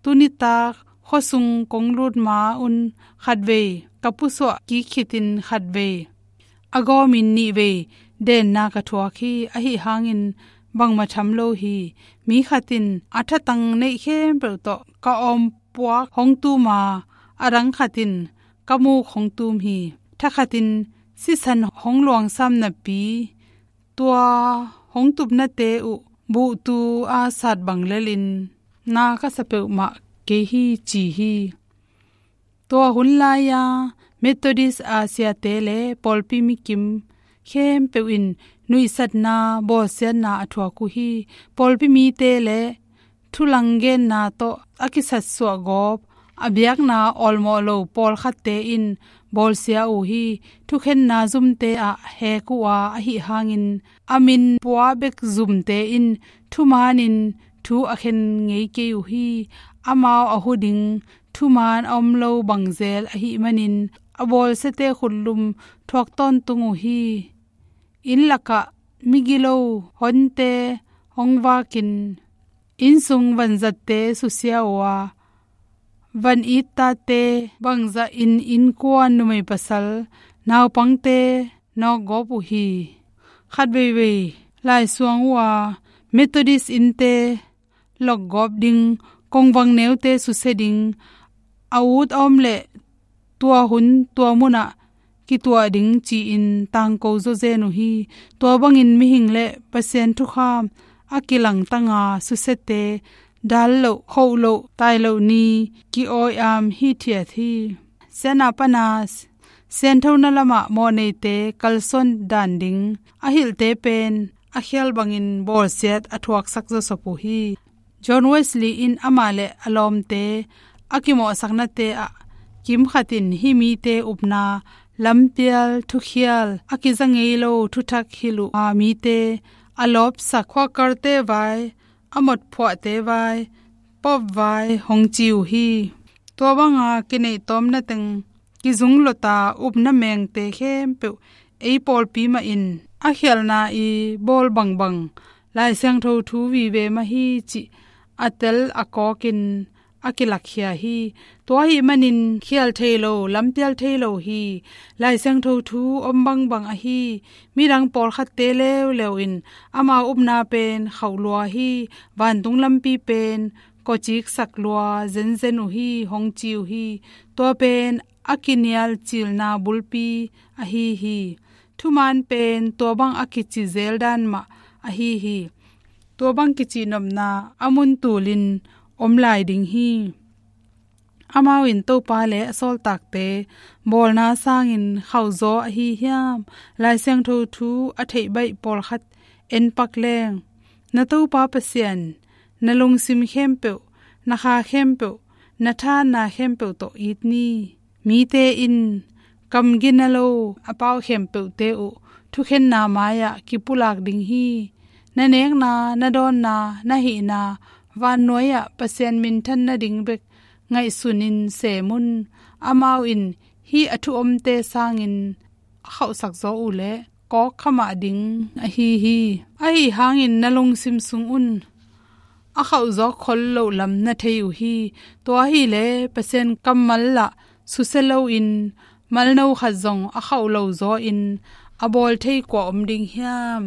tuni tak khuasung kong lut ma un khatvei ka pusuah kik khitin khatvei a gawmin nihvei denna ka thuak hi. Ahi hangin bangmah tham lo hi. Mi khat in a thatang neih khempeuh tawh ka awm puak hong tum a, a dang khat in ka muk hong tum hi. Tha khat in sisan hong luangsam napi tua hong tupnate uh buhtu a sat bang lelin na ka sa peuhmah kei hi ci hi. Tua hun lai-a Methodist a siate le pawlpi mikim khempeuh in nuihsatna bawlsiatna a thuak uh hi. Pawlpi mite le thulanggenna tawh a kisatsuah gawp a biakna awlmawh lo pawlkhatte in bawlsia uh hi. Thukhenna zumte ah hek uh a, ahi hangin a min pua bek zumte in thumanin thu a khen ngei kei uh hi. Amau a hu ding thuman a om lo bangzel ahih manin a bawlsiate khutlum thuak tawntung uh hi. Inn lakah migilo honte hong vakin innsung vanzatte susia uh a, van ittate bangzah in innkuan numei pasal naupangte nawkgawp uh hi. Khatveivei laisuang uh a, Methodist innte lokgawp ding, kongvang neute susia ding, a ut a om leh tua hun tua munah kituah ding ci-in tangko zawzen uh hi. Tua bangin mihing le Pasian thukham a kilangtanga susiate dal loh, khoh loh, tai loh ni ki-awi am hithiat hi. Siatna pana sianthona lamah mawhneite kalsuan dan ding a hilhte pen a khial bangin bawlsiat a thuaksak zawsop uh hi. John Wesley in amah le a lawmte a kimawhsaknate ah kimkhat in hih mite upna lampial thukhial a kiza ngei lo thuthak hilh uh a, mite a lawpsak khuakarte vai, a motphuahte vai, pop vai hong ci uh hi. Tua banga kineih tawmna teng kizung lota upna mengte khempeuh ei pawlpi mahin a khialhna i bawl bangbang Lai Siangtho thu vive mah hi cih a tel a kawkin a kilakkhia hi. Tua ahih manin khial thei lo, lampial thei lo hi. Lai Siangtho thu om bangbang ahi. Midang pawlkhatte leuleu in amau upna pen khauh lua hi. Vantung lampi pen kawciksak lua zenzen uh hi hong ci uh hi. Tua pen a kinial cilna bulpi ahi hi. Thuman pen tua bang a kici zel dan mah ahi hi. tua bang kicihnopna a mun tulin om lai ding hi. Amau in Topa le a sawltakte bawlna sangin khauhzaw ahi hiam? Lai Siangtho thu a theih baih pawlkhat en pak leng, na Topa Pasian na lungsim khempeuh, na kha khempeuh, na thahatna khempeuh tawh it ni. Mite in kam gina lo a pau khempeuhte uh thukhenna mai-ah kipulak ding hi. Na nekna, na dawnna, na hihna, vannuai-ah Pasian minthan nading bek ngaihsunin sem un. Amau in hih a thu omte sangin a khauhsak zaw uh leh kawkkha mah ding ahi hi. Ahi hangin na lungsim sung un a khauhzawk khol loh lam na thei uh hi. Tua hileh Pasian kammal lah susia loin malno khat zong a khauh lo zaw in a bawl thei kua om ding hiam?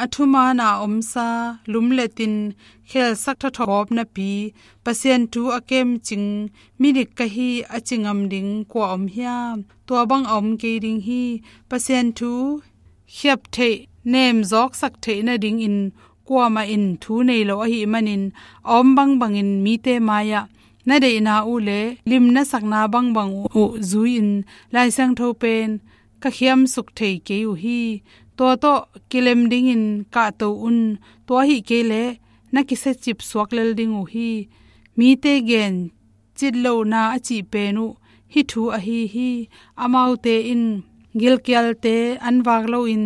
A thuman a omsa, lumletin khelsak thathawp napi, Pasian thu a kemcing midik ka hi a ci ngam ding kua om hiam? Tua bang a om kei ding hi. Pasian thu khiap theih, nemzawksak theih nadingin kuamah in thu nei lo ahih manin, a om bangbangin mite mai-ah na deihna uh le lim na sakna bangbang uh zui-in Lai Siangtho pen ka khiamsuk thei kei uh hi. Tua tawh kilem dingin kahto un. Tua ahih kei leh na kisiacip suak lel ding uh hi. Mite gen citlohna a cih pen uh hih thu ahi hi. Amaute in gilkialte an vak loin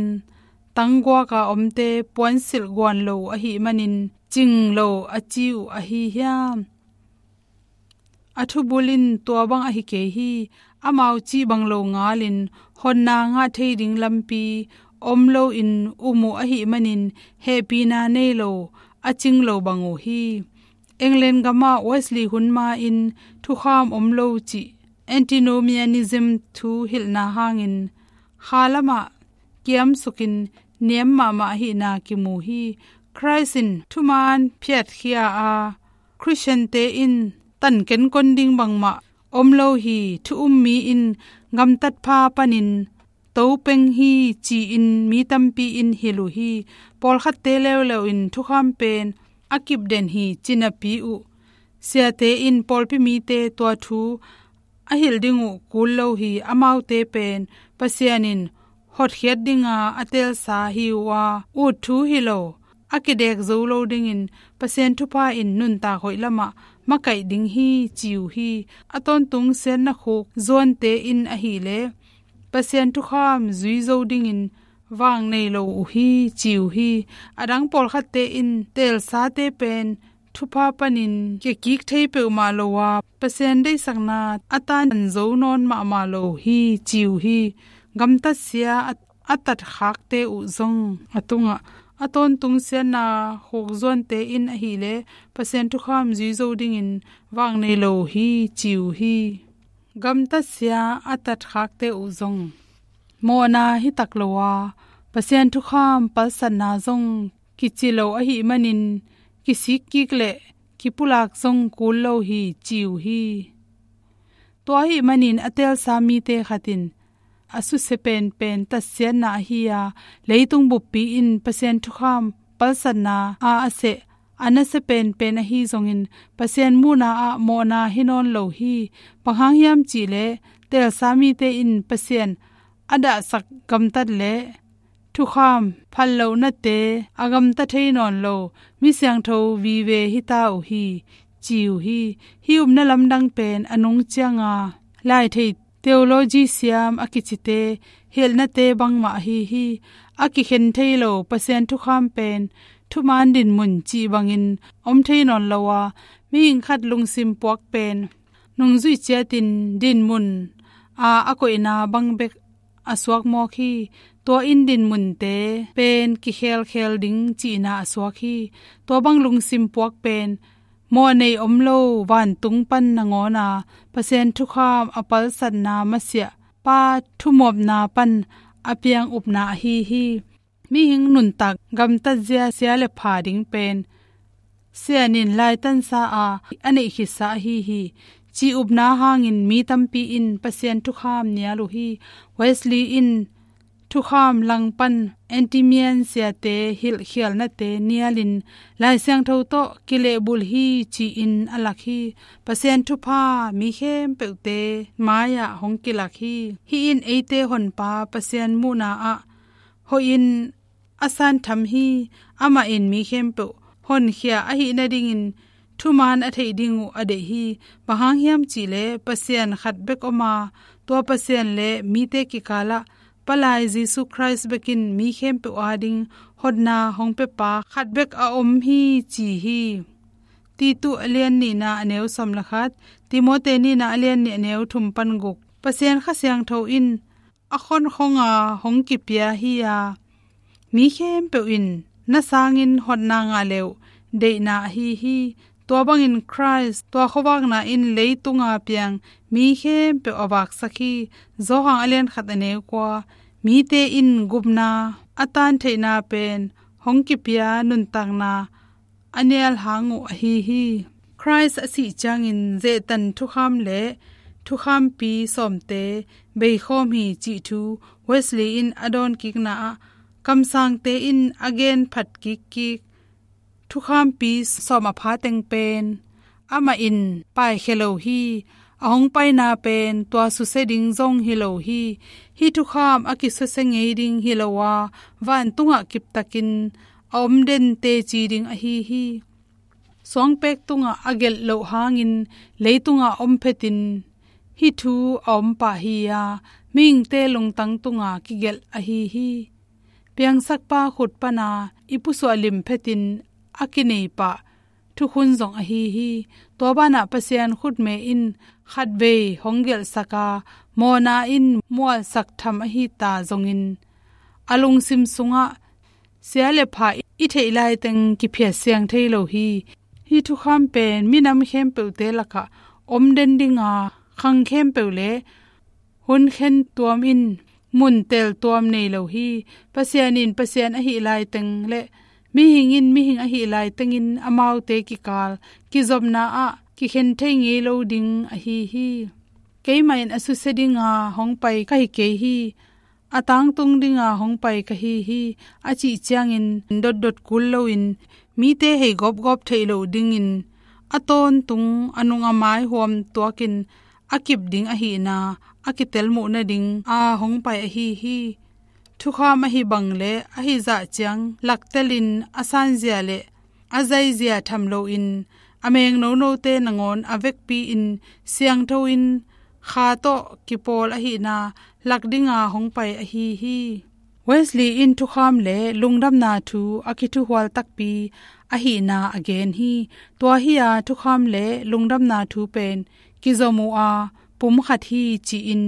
tangguak a omte puansilh guan lo uh ahih manin cing lo a ci uh ahi hiam? A thubul in tua bang ahi kei hi. Amau cih bang lo ngalin honna ngah thei ding lampi om loin um uh ahih manin hehpihna nei lo a cing lo bang uh hi. England gamah Wesley hun ma-in thukham om lo cih antinomianism thu hilhna hangin kha lamah kiamsukin niam mahmah ahihna kimu hi. Christ in thuman phiatkhia a Christian-te in tan kenkon ding bangmah om lo hi. Thu um mi in gamtat pha panin to peng hi ci-in mi tampi in hilh uh hi. Pawlkhatte leuleu in thukham pen a kipden hi ci napi uh siate in pawlpi mite tua thu a hilh ding uh kul lo hi. Amaute pen Pasian in hotkhiat dinga a teelsa hi uh a, ut thu hi lo, a kidek zo lo dingin Pasian thupha in nuntak hoih lamah makaih ding hi ci uh hi. A tawntung siatna khuk zuante in ahileh Pasian thukham zui zo dingin vang nei lo uh hi ci uh hi. A dang pawlkhatte in teelsate pen thupha panin kiakik thei peuhmah lo a, Pasian deihsakna a tan zo nawn mahmah lo hi ci uh hi. Gamtatsia a, a tatkhakte uh zong a tungah a tawntung siatna khuk zuante in ahileh Pasian thukham zui zo dingin vang nei lo uh hi ci uh hi. Gamtatsia a tatkhakte uh zong mawhna hi tak lo a, Pasian thukham palsatna zong kici lo ahih manin kisik kik le kipulak zong kul lo hi ci uh hi. Tua ahih manin a teelsa mite khat in a susia penpen tatsiatna ahi a, leitung buppi in Pasian thukham palsatna a a seh a nasia penpen ahi zongin Pasian muhna ah mawhna hi nawn lo hi. Bang hang hiam cihleh teelsa mite in Pasian a dahsak gamtat le thukham phallohnate a gamta thei nawn lo mi siangtho vive hi ta uh hi ci uh hi. Hih upna lamdang pen a nung cianga lai thei theology siam a kicite hilhnate bangmah ahi hi. A kikhen thei lo Pasian thukham pen thuman dinmun cih bangin om thei nawn lo a, mihing khat lungsim puak pen nungzuih ciatin dinmun a a koihna bang bek a suak mawk hi. Tua in dinmunte pen kikhelkhel ding cihna a suak hi. Tua bang lungsim puak pen mawhnei om lo vantung pan nangawn a Pasian thukham a palsatna masiah pa thumuapna pan a piang upna ahi hi. Mihing nuntak gamtatzia sia le pha ding pen Sian in laitansa a a neih khitsa ahi hi. Cih upna hangin mi tampi in Pasian thukham nial uh hi. Wesley in thukham langpan Anti-Mian siate hilhkhialnate nialin Lai Siangtho tawh kilehbulh hi ci-in a lak hi. Pasian thupha mi khempeuhte mai-ah hong kilak hi. Hih in eite honpa Pasian muhna ah hoihin a santham hi. Amah in mi khempeuh honkhia ahih nadingin thuman a theih ding uh a deih hi. Bang hang hiam cihleh Pasian khat bek om a, tua Pasian le mite kikalah Palai Jesu Khrist bekin mi khempeuh ading hotna hong pepa khat bek a om hi ci hi. Titu a lian nihna a neu sawm le khat, Timote nihna a lian nih a neu thum pan guk. Pasian Kha Siangtho in a khonkhong a hong kipia hi a, mi khempeuh in na sangin hotna ngah leuh deihna ahi hi. Tua bangin Khrist tua khuavakna in leitunga piang mi khempeuh a vaksak hi. Johan a lian khat a neu kua, mite in gupna a tantheihna pen hong kipia nuntakna a nial hang uh ahi hi. Khrist a sih ciangin zehtan thukham le thukhampi sawmte beikhawm hi cih thu Wesley in a dawnkikna ah kamsangte in a gen phat kikkik thukhampi sawm a pha teng pen amah in paikhia lo hi. A hong paina pen tua susia ding zong hi lo hi. Hih thukham a kisusia ngei ding hi lo a, vantungah kiptakin a om den teci ding ahi hi. Suangpek tungah a gelh loh hangin leitungah om phetin hih thu a om pah hi a, mihingte lungtang tungah kigelh ahi hi. Piangsakpa khut pana i pusuah lim phetin a kinei pah thukhun zong ahi hi. Tua banah Pasian khutme in khatvei hong gelhsak a, mawhna in mualsak tham ahi ta zongin a lungsim sungah sia le pha i theih laiteng kiphiat siang thei lo hi. Hih thukham pen minam khempeuhte lakah om den dinga, khang khempeuh le hun khen tuam in mun tel tuam nei lo hi. Pasian in Pasian ahih laiteng le mihing in mihing ahih laitengin amaute kikal kizopna ah kikhen thei ngei lo ding ahi hi. Keimah in a susia dinga hong pai ka hi kei hi. A tangtung dinga hong pai ka hi hi, a cih ciangin dotdot kul loin mite hei gawpgawp theih loh dingin a tawntung a nung a mai huam tuakin a kip ding ahihna a kitel muh nading a hong pai ahi hi. Thukham ahi bang le ahi zah ciang laktelin a sanzia le a zaizia tham loin a mengnonote nangawn a vekpi-in siangtho-in kha tawh kipawl ahihna lak dinga hong pai ahi hi. Wesley in thukham le lungdamna thu a kithuhual takpi ahihna a gen hi. Tua hi-a thukham le lungdamna thu pen kizom uh a, pum khat hi ci-in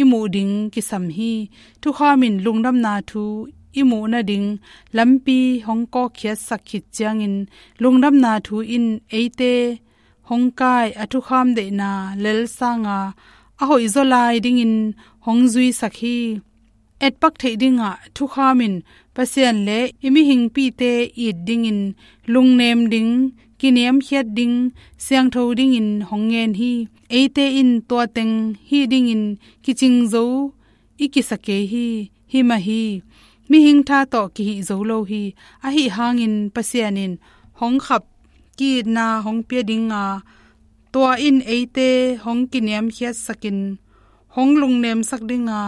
i muh ding kisam hi. Thukham in lungdamna thu i muh nading lampi hong kawkkhiatsak khit ciangin lungdamna thu in eite hong kai a thukham deihna lel sanga a hoihzaw lai dingin hong zuisak hi. Etpak theih dingah thukham in Pasian le i mihingpite it dingin lungnem ding, kiniamkhiat ding, siangtho dingin hong ngen hi. Eite in tua teng hih dingin kicing zo i kisa kei hi. Hi mah hi. Mihing tha tawh kihih zo lo hi. Ahi hangin Pasian in hong khap ki-itna hong pia dinga, tua in eite hong kiniamkhiatsakin hong lungnemsak dinga,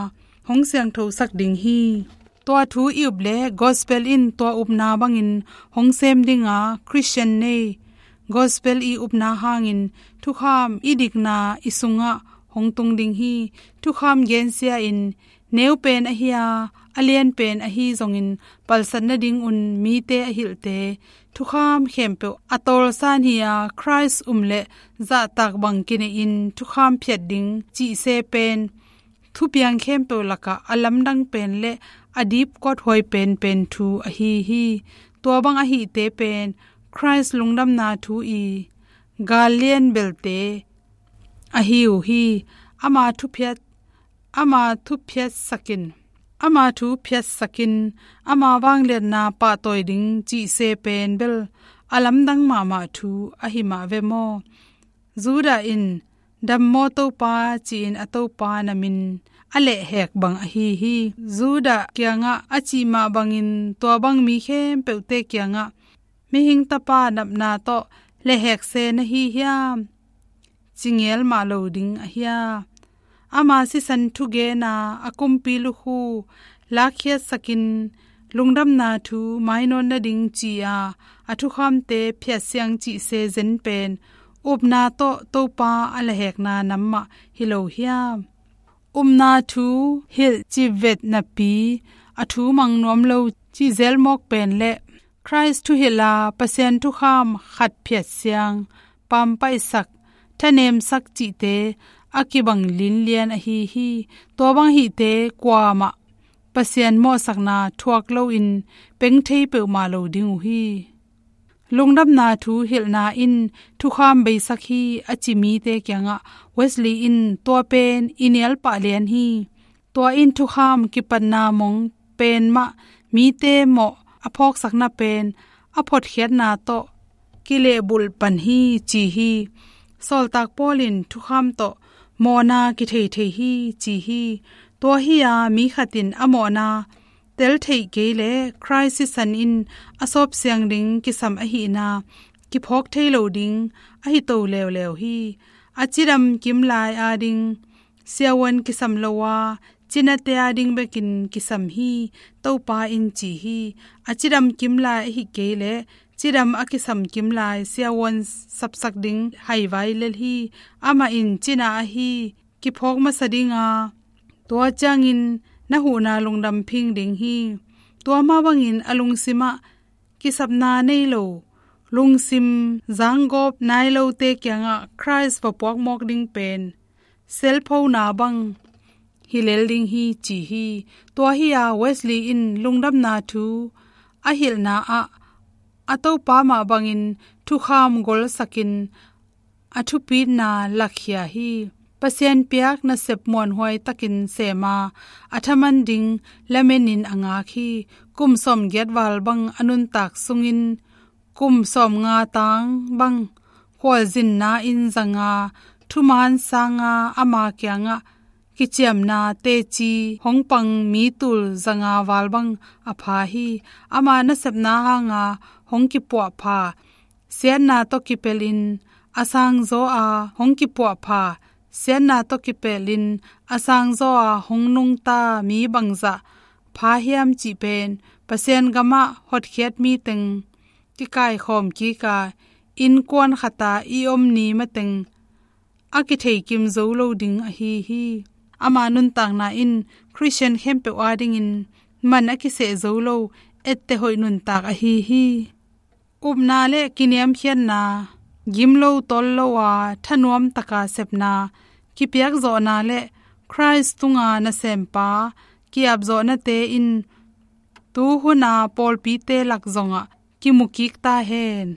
hong siangthosak ding hi. Tua thu i up le gospel in tua upna bangin hong sem dinga Christian nei. Gospel i upna hangin thukham i dikna i sungah hong tung ding hi. Thukham gensia in neu pen ahi a, a lian pen ahi zongin palsat nadingun mite a hilhte thukham khempeuh a tawlsan hi-a, Khrist um le zahtak bang kineihin thukham phiat ding cihse pen thupiang khempeuh lakah a lamdang pen le a dipkawt huai penpen thu ahi hi. Tua bang ahihte pen Khrist lungdamna thu i gal lian belte ahi uh hi. Ama thuphiat, ama thuphiatsakin, ama thuphiatsakin, ama vangliatna pahtawi ding cihse pen bel a lamdang mahmah thu ahi mah ve maw? Judah in, "Dam maw Topa," ci-in a Topa na min a lehhek bang ahi hi. Judah kiangah a cih mah bangin tua bang mi khempeuhte kiangah, "Mihing Tapa napna tawh lehhek se na hi hiam?" ci ngel mah lo ding ahi a, ama sisan thugena a kumpi lukhu lakkhiatsakin, lungdamna thu mainawt nading ci-a a thukhamte phiatsiang cih se zen pen, upna tawh Topa a lehhekna nam mah hi lo hiam? Upna thu hilh cih vet napi, a thu mang nuam lo cih zel mawk pen le Khrist thuhilh a Pasian thukham khat phiatsiang, pampaihsak, thanemsak cihte a kibang linlian ahi hi. Tua bang hihte kuamah Pasian mawhsakna thuak loin peng thei peuhmah lo ding uh hi. Lungdamna thu hilhna in thukham beisak hi a ci mite kiangah Wesley in, "Tua pen i nial pah lian hi. Tua in thukham kipatna mong pen mah mite mawh a phawksakna pen a photkhiatna tawh kilehbulh pan hi," ci hi. Sawltak Paul in thukham tawh mawhna kithei thei hi ci hi. Tua hi-a mi khat in a mawhna tel theih kei leh Khrist sisan in a sawpsiang ding kisam ahihna kiphawk thei lo ding ahi to leuleu hi. A cidam kim lai ading siavuan kisam lo a, cinate ading bekin kisam hi, Topa in ci hi. A cidam kim lai ahi kei leh cidam a kisam kim lai siavuan sapsak ding haivai lel hi. Amah in cina ahi kiphawk masa ding a, tua ciangin na huhna lungdam phing ding hi. Tua mah bangin a lungsimah kisapna nei lo, lungsim zanggawp nai lote kiangah Khrist va puak mawk ding pen selphona bang hi lel ding hi ci hi. Tua hi-a Wesley in lungdamna thu a hilhna ah a Topa mah bangin thukham golsakin a thupitna lakkhia hi. Pasian piak nasep muanhuai takin sema a thaman ding lamenin a ngak hi. Kum sawmgiat val bang a nuntak sungin kum sawmnga tang bang khualzinna in zanga thuman sanga ama kiangah kiciamna teci hong pang mi tul zanga val bang a pha hi. Ama nasepna hanga hong kipuahpha siatna tawh kipelin a sangzaw a hong kipuahpha, siatna tawh kipelin a sangzaw a hong nungta mi bangzah pha hiam cih pen Pasian gamah hotkhiat mi teng kikaikhawm kika innkuan khata i om ni mateng a kitheikim zo lo ding ahi hi. Ama nuntakna in Khristian khempeuh adingin man a kiseh zo lo etteh hoih nuntak ahi hi. Upna le kiniamkhiatna, gim lo tol lo a thanuam taka sepna, kipiakzawhna le Khrist tunga nasempa kiapzawhnate in tuhuna pawlpite lak zongah kimukik ta hen.